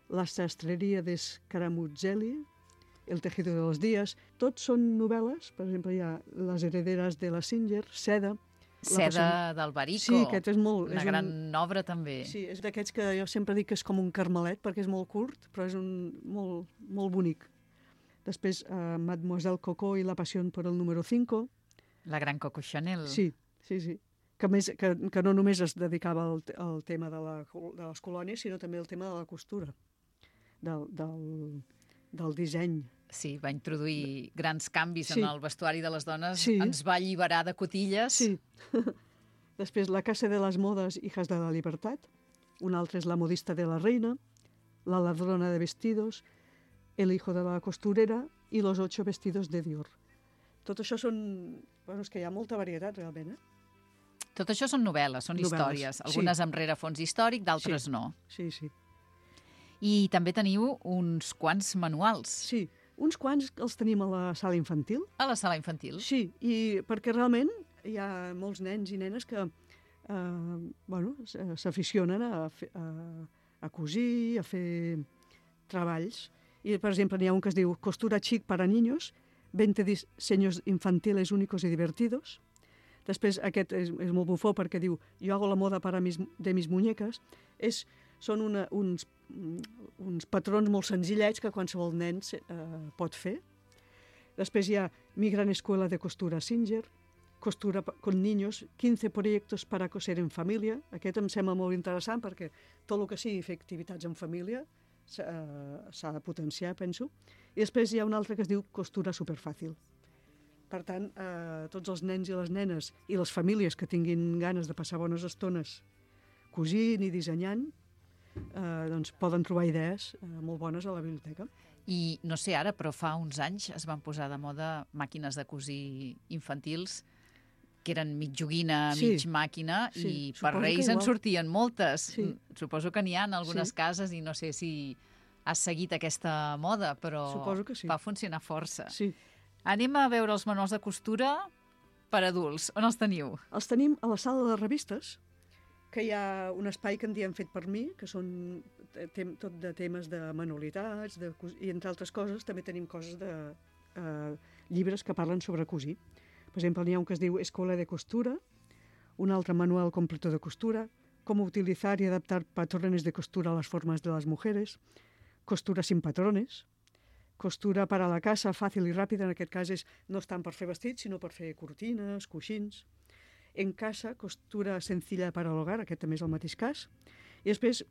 La sastreria de Scaramuzelli, El tejido de los días. Tots són novel·les. Per exemple, hi ha Les herederas de la Singer, Seda. Seda d'Albarico. Sí, aquest és molt... Una gran obra, també. Sí, és d'aquests que jo sempre dic que és com un carmelet, perquè és molt curt, però és molt bonic. Després, Mademoiselle Coco i la pasión por el número 5. La gran Coco Chanel. Sí. Que no només es dedicava al tema de les colònies, sinó també al tema de la costura, del disseny. Sí, va introduir grans canvis en el vestuari de les dones, sí. Ens va alliberar de cotilles. Sí. Després, La casa de les modes, hijas de la libertad. Un altre és La modista de la reina, La ladrona de vestidos, El hijo de la costurera i Los 8 vestidos de Dior. Tot això són... Bueno, és que hi ha molta varietat, realment, Tot això són novel·les, són històries. Algunes amb rerefons històric, d'altres no. Sí. I també teniu uns quants manuals. Sí, uns quants els tenim a la sala infantil. A la sala infantil? Sí, i perquè realment hi ha molts nens i nenes que s'aficionen a cosir, a fer treballs. I, per exemple, n'hi ha un que es diu Costura chic para niños, 20 diseños infantiles únicos y divertidos. Després, aquest és molt bufó perquè diu Yo hago la moda de mis muñecas. Són uns patrons molt senzillets que qualsevol nen pot fer. Després hi ha Mi gran escuela de costura Singer, Costura con niños, 15 proyectos para coser en família. Aquest em sembla molt interessant perquè tot el que sigui fer activitats en família s'ha de potenciar, penso. I després hi ha un altre que es diu Costura superfàcil. Per tant, tots els nens i les nenes i les famílies que tinguin ganes de passar bones estones cosint i dissenyant, doncs poden trobar idees molt bones a la biblioteca. I no sé ara, però fa uns anys es van posar de moda màquines de cosir infantils que eren mig joguina, mig màquina, i per Reis en sortien moltes. Sí. Suposo que n'hi ha en algunes cases i no sé si has seguit aquesta moda, però va funcionar força. Sí. Anem a veure els manuals de costura per adults. On els teniu? Els tenim a la sala de revistes, que hi ha un espai que en diem fet per mi, que són tot de temes de manualitats, i entre altres coses també tenim coses de llibres que parlen sobre cosir. Per exemple, n'hi ha un que es diu Escuela de costura, un altre manual completo de costura, cómo utilizar y adaptar patrones de costura a las formas de las mujeres, costura sin patrones, costura para la casa, fàcil i ràpida, en aquest cas no és tant per fer vestits, sinó per fer cortines, coixins. En casa, costura sencilla para el hogar, aquest també és el mateix cas. I després,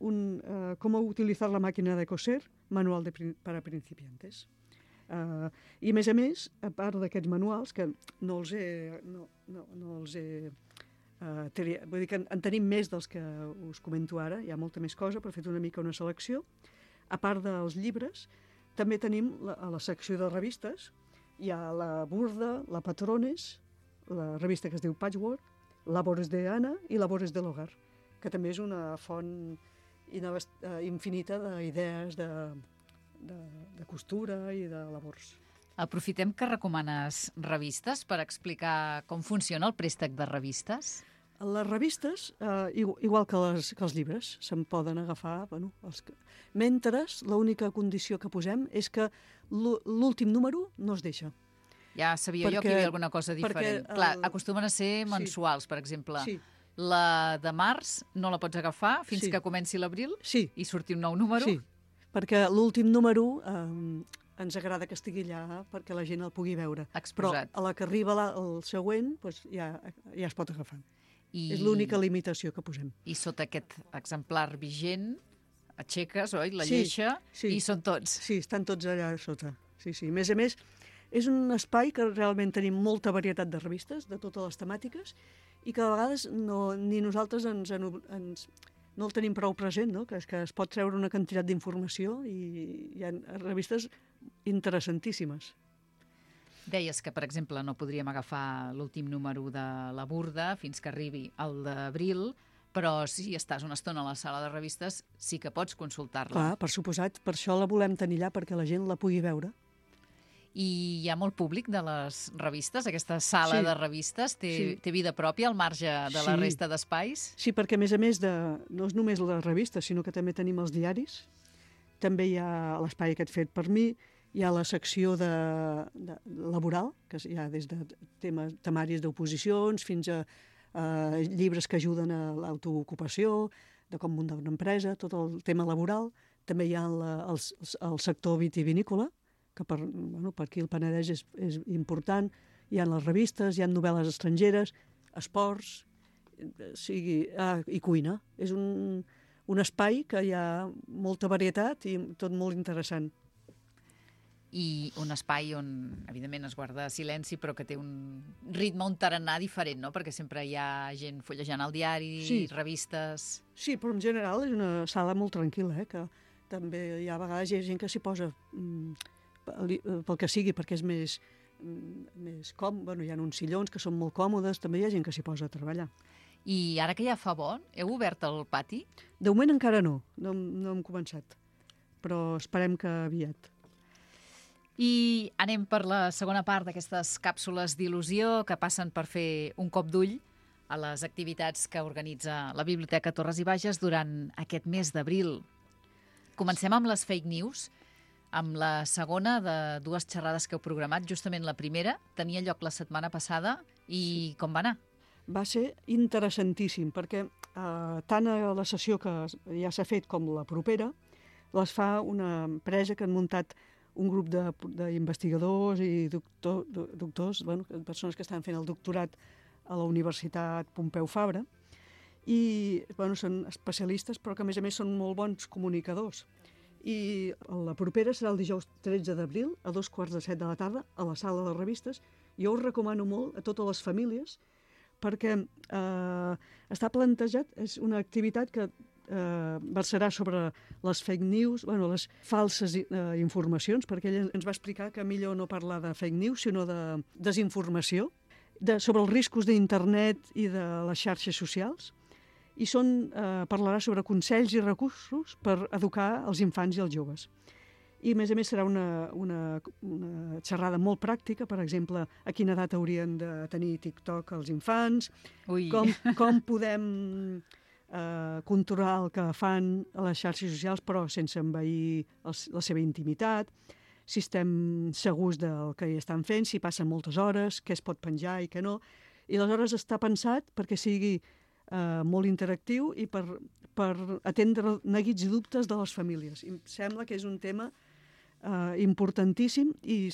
cómo utilizar la máquina de coser, manual para principiantes. I a més, a part d'aquests manuals, que no els he vull dir que en tenim més dels que us comento ara, hi ha molta més cosa, però he fet una mica una selecció. A part dels llibres, també tenim a la secció de revistes, hi ha la Burda, la Patrones, la revista que es diu Patchwork, Labores de Ana i Labores de l'Hogar, que també és una font infinita d'idees de costura i de labors. Aprofitem que recomanes revistes per explicar com funciona el préstec de revistes. Les revistes, igual que els llibres, se'n poden agafar, mentre l'única condició que posem és que l'últim número no es deixa. Ja sabia jo que hi havia alguna cosa diferent. Clar, acostumen a ser mensuals, per exemple. Sí, La de març no la pots agafar fins Sí. que comenci l'abril Sí, i surti un nou número? sí, perquè l'últim número ens agrada que estigui allà perquè la gent el pugui veure. Exposat. Però a la que arriba el següent doncs ja es pot agafar. I, És l'única limitació que posem. I sota aquest exemplar vigent, aixeques, oi, la Sí, lleixa, sí. i són tots. Sí, estan tots allà sota. Sí, sí. A més, és un espai que realment tenim molta varietat de revistes, de totes les temàtiques, i que de vegades ni nosaltres no el tenim prou present, no? Que es pot treure una quantitat d'informació i hi ha revistes interessantíssimes. Deies que, per exemple, no podríem agafar l'últim número de La Burda fins que arribi el d'abril, però si estàs una estona a la sala de revistes sí que pots consultar-la. Clar, per suposat, per això la volem tenir allà, perquè la gent la pugui veure. I hi ha molt públic de les revistes? Aquesta sala Sí. de revistes té vida pròpia al marge de la Sí. resta d'espais? Sí, perquè a més no és només les revistes, sinó que també tenim els diaris, també hi ha l'espai aquest fet per mi, hi ha la secció de laboral, que hi ha des de temaris d'oposicions fins a llibres que ajuden a l'autoocupació, de com muntar una empresa, tot el tema laboral. També hi ha el sector vitivinícola, que per aquí el Penedès és important. Hi ha les revistes, hi ha novel·les estrangeres, esports, i cuina. És un espai que hi ha molta varietat i tot molt interessant. I un espai on, evidentment, es guarda silenci, però que té un ritme, un tarannà diferent, no? Perquè sempre hi ha gent fullejant el diari, revistes... Sí, però en general és una sala molt tranquil·la, que també hi ha a vegades gent que s'hi posa pel que sigui, perquè és més còmode. Hi ha uns sillons que són molt còmodes, també hi ha gent que s'hi posa a treballar. I ara que ja fa bo, heu obert el pati? De moment encara no hem començat, però esperem que aviat. I anem per la segona part d'aquestes càpsules d'il·lusió que passen per fer un cop d'ull a les activitats que organitza la Biblioteca Torres i Bages durant aquest mes d'abril. Comencem amb les fake news, amb la segona de dues xerrades que heu programat. Justament la primera tenia lloc la setmana passada i com va anar? Va ser interessantíssim, perquè tant a la sessió que ja s'ha fet com la propera, les fa una empresa que han muntat un grup d'investigadors i doctors, persones que estan fent el doctorat a la Universitat Pompeu Fabra, i són especialistes, però que a més són molt bons comunicadors. I la propera serà el dijous 13 d'abril, a 2:45 de la tarda, a la sala de revistes. Jo us recomano molt a totes les famílies, perquè està plantejat, és una activitat que versarà sobre les fake news, les falses informacions, perquè ell ens va explicar que millor no parlar de fake news, sinó de desinformació, sobre els riscos d'internet i de les xarxes socials, i parlarà sobre consells i recursos per educar els infants i els joves. I, a més serà una xerrada molt pràctica, per exemple, a quina edat haurien de tenir TikTok els infants, com podem controlar el que fan a les xarxes socials però sense envair la seva intimitat, si estem segurs del que hi estan fent, si passen moltes hores, què es pot penjar i què no. I aleshores està pensat perquè sigui molt interactiu i per atendre neguits i dubtes de les famílies. I em sembla que és un tema importantíssim i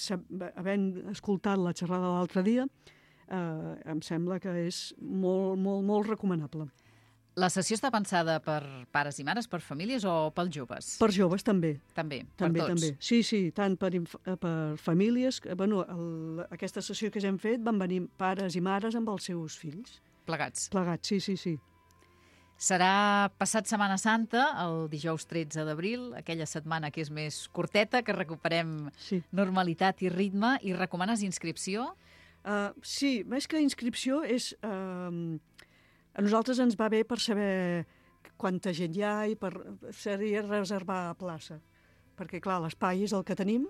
havent escoltat la xerrada l'altre dia, em sembla que és molt, molt, molt recomanable. La sessió està pensada per pares i mares, per famílies o pels joves? Per joves, també. També, per tots? També. Sí, tant per famílies. Aquesta sessió que ja hem fet van venir pares i mares amb els seus fills. Plegats? Plegats, sí. Serà passat Setmana Santa, el dijous 13 d'abril, aquella setmana que és més curteta, que recuperem normalitat i ritme. I recomanes inscripció? Sí, més que inscripció és... A nosaltres ens va bé per saber quanta gent hi ha i seria reservar plaça. Perquè, clar, l'espai és el que tenim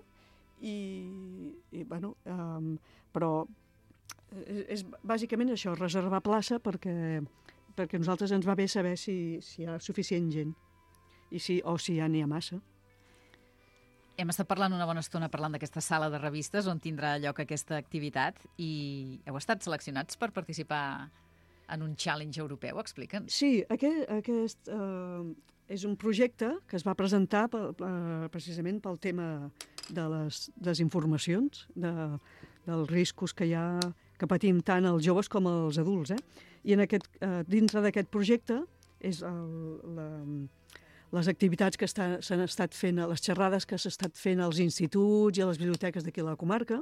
però és bàsicament això, reservar plaça perquè a nosaltres ens va bé saber si hi ha suficient gent o si ja n'hi ha massa. Hem estat parlant una bona estona d'aquesta sala de revistes on tindrà lloc aquesta activitat i heu estat seleccionats per participar en un challenge europeu? Explica'ns. Sí, aquest és un projecte que es va presentar precisament pel tema de les desinformacions, dels riscos que patim tant els joves com els adults. I dintre d'aquest projecte és les activitats que s'han estat fent, les xerrades que s'han estat fent als instituts i a les biblioteques d'aquí a la comarca,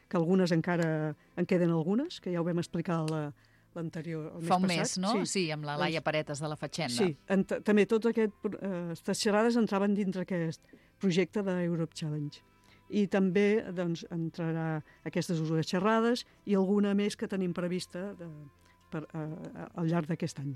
que algunes encara en queden algunes, que ja ho vam explicar l'anterior, el mes passat. Fa un mes, no? Sí, amb la Laia Paretes de la Fatxenda. Sí, també totes aquestes xerrades entraven dintre aquest projecte d'Europe Challenge. I també entrarà aquestes dues xerrades i alguna més que tenim prevista al llarg d'aquest any.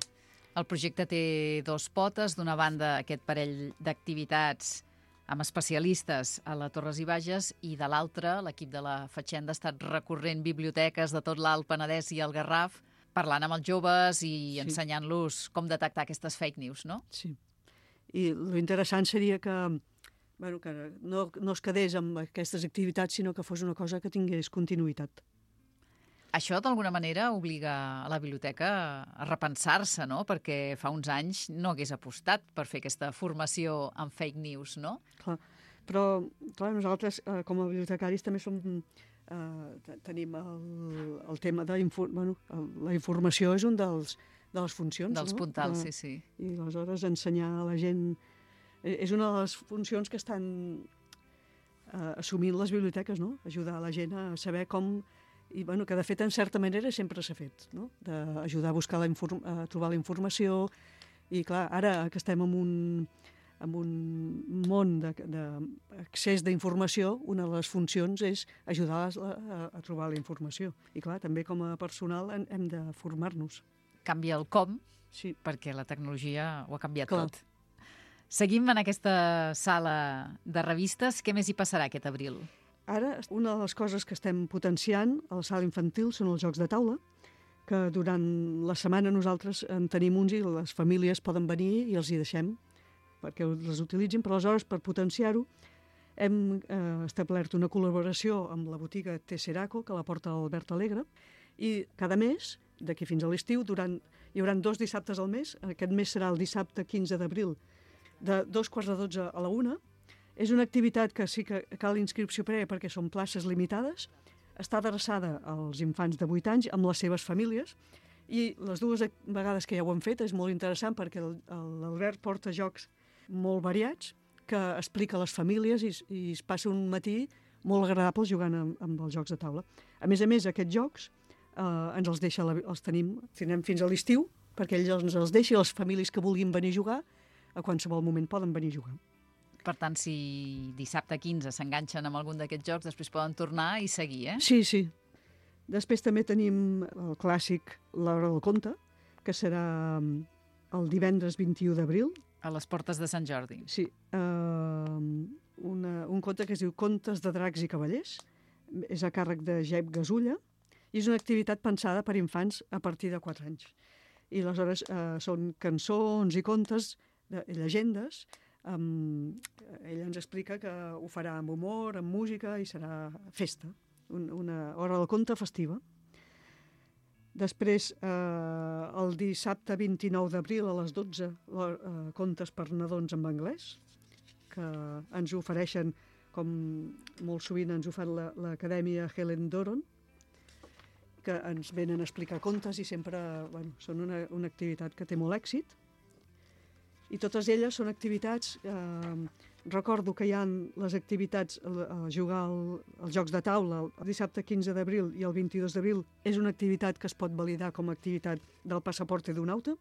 El projecte té dos potes. D'una banda, aquest parell d'activitats amb especialistes a la Torres i Bages, i de l'altra, l'equip de la Fatxenda ha estat recorrent biblioteques de tot l'Alt Penedès i el Garraf, parlant amb els joves i ensenyant-los com detectar aquestes fake news, no? Sí. I l'interessant seria que no es quedés amb aquestes activitats, sinó que fos una cosa que tingués continuïtat. Això, d'alguna manera, obliga a la biblioteca a repensar-se, no? Perquè fa uns anys no hagués apostat per fer aquesta formació en fake news, no? Clar, però nosaltres, com a bibliotecaris, també tenim el tema de la informació és un de les funcions. Dels puntals, sí. I aleshores ensenyar a la gent és una de les funcions que estan assumint les biblioteques, no? Ajudar la gent a saber com, i que de fet en certa manera sempre s'ha fet, no? D'ajudar a buscar a trobar la informació. I clar, ara que estem en un món d'accés d'informació, una de les funcions és ajudar a trobar la informació. I clar, també com a personal hem de formar-nos. Canvia el com, sí, perquè la tecnologia ho ha canviat tot. Seguim en aquesta sala de revistes. Què més hi passarà aquest abril? Ara, una de les coses que estem potenciant a la sala infantil són els jocs de taula, que durant la setmana nosaltres en tenim uns i les famílies poden venir i els hi deixem perquè les utilitzin, però aleshores per potenciar-ho hem establert una col·laboració amb la botiga Tesseraco, que la porta l'Albert Alegre, i cada mes, d'aquí fins a l'estiu, hi haurà 2 dissabtes al mes. Aquest mes serà el dissabte 15 d'abril, de 2:45 a la 1. És una activitat que sí que cal inscripció prèvia perquè són places limitades. Està adreçada als infants de 8 anys amb les seves famílies, i les 2 vegades que ja ho han fet és molt interessant perquè l'Albert porta jocs molt variats que explica a les famílies i es passa un matí molt agradable jugant amb els jocs de taula. A més, aquests jocs ens els deixa, els tindrem fins a l'estiu perquè ell ens els deixa, i les famílies que vulguin venir a jugar a qualsevol moment poden venir a jugar. Per tant, si dissabte 15 s'enganxen amb algun d'aquests jocs, després poden tornar i seguir, Sí. Després també tenim el clàssic L'Hora del Conte, que serà el divendres 21 d'abril. A les portes de Sant Jordi. Sí. Un conte que es diu Contes de dracs i cavallers. És a càrrec de Jep Gasulla, i és una activitat pensada per infants a partir de 4 anys. I aleshores són cançons i contes, llegendes. Ella ens explica que ho farà amb humor, amb música, i serà festa, una hora del conte festiva. Després, el dissabte 29 d'abril a les 12, contes per nadons en anglès, que ens ofereixen, com molt sovint ens ho fa l'Acadèmia Helen Doron, que ens venen a explicar contes i sempre són una activitat que té molt èxit. I totes elles són activitats, recordo que hi ha les activitats a jugar als jocs de taula el dissabte 15 d'abril i el 22 d'abril, és una activitat que es pot validar com a activitat del Passaporte d'un Auto.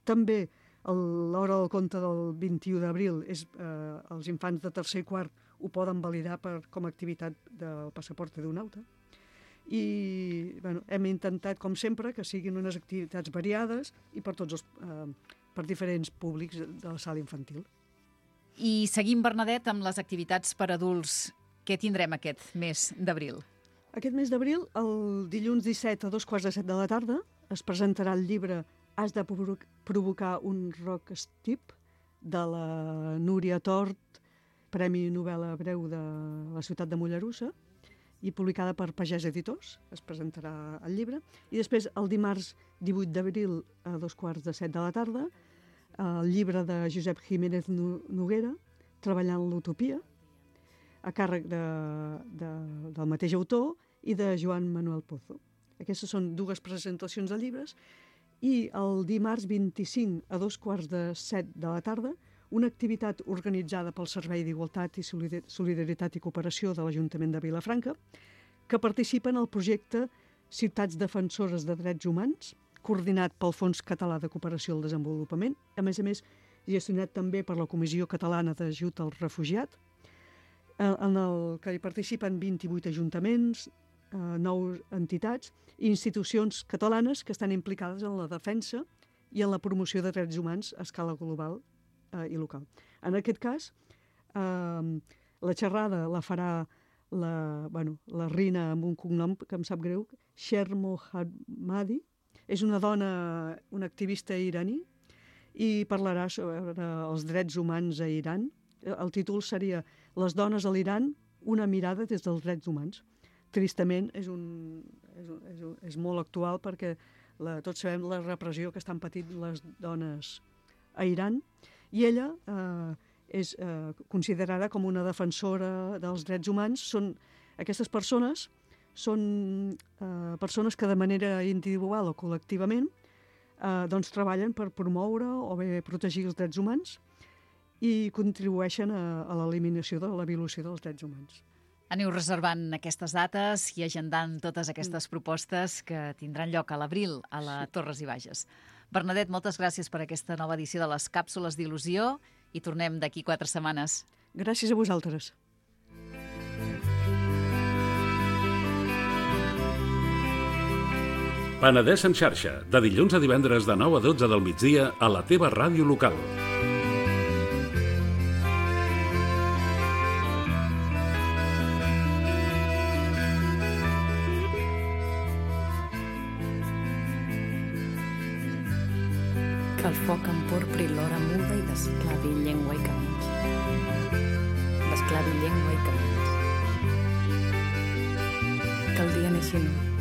També l'hora del conte del 21 d'abril, els infants de tercer i quart ho poden validar com a activitat del Passaporte d'un Auto. I hem intentat, com sempre, que siguin unes activitats variades i per diferents públics de la sala infantil. I seguim, Bernadette, amb les activitats per adults. Què tindrem aquest mes d'abril? Aquest mes d'abril, el dilluns 17 a 2:15 de la tarda, es presentarà el llibre Has de provocar un rock steep, de la Núria Tort, Premi Novel·la Breu de la ciutat de Mollerussa, i publicada per Pagès Editors, es presentarà el llibre. I després, el dimarts 18 d'abril, a 2:15 de la tarda, el llibre de Josep Jiménez Noguera, Treballant l'Utopia, a càrrec del mateix autor i de Joan Manuel Pozo. Aquestes són 2 presentacions de llibres. I el dimarts 25 a 2:15 de la tarda, una activitat organitzada pel Servei d'Igualtat i Solidaritat i Cooperació de l'Ajuntament de Vilafranca, que participa en el projecte Ciutats Defensores de Drets Humans, coordinat pel Fons Català de Cooperació al Desenvolupament, a més, gestionat també per la Comissió Catalana d'Ajut al Refugiat, en el que hi participen 28 ajuntaments, 9 entitats i institucions catalanes que estan implicades en la defensa i en la promoció de drets humans a escala global i local. En aquest cas, la xerrada la farà la Rina amb un cognom que em sap greu, Sher Mohammadi. És una dona, una activista iraní, i parlarà sobre els drets humans a Iran. El títol seria Les dones a l'Iran, una mirada des dels drets humans. Tristament, és molt actual perquè tots sabem la repressió que estan patint les dones a Iran, i ella és considerada com una defensora dels drets humans. Aquestes persones són persones que de manera individual o col·lectivament treballen per promoure o bé protegir els drets humans i contribueixen a l'eliminació de la violació dels drets humans. Aneu reservant aquestes dates i agendant totes aquestes propostes que tindran lloc a l'abril a la Torres i Bages. Bernadette, moltes gràcies per aquesta nova edició de les Càpsules d'Il·lusió i tornem d'aquí 4 setmanes. Gràcies a vosaltres. Penedès en xarxa, de dilluns a divendres de 9 a 12 del migdia a la teva ràdio local. Que el foc emporpri l'hora muda i desclavi llengua i camins. Desclavi llengua i camins. Que el dia neixi nu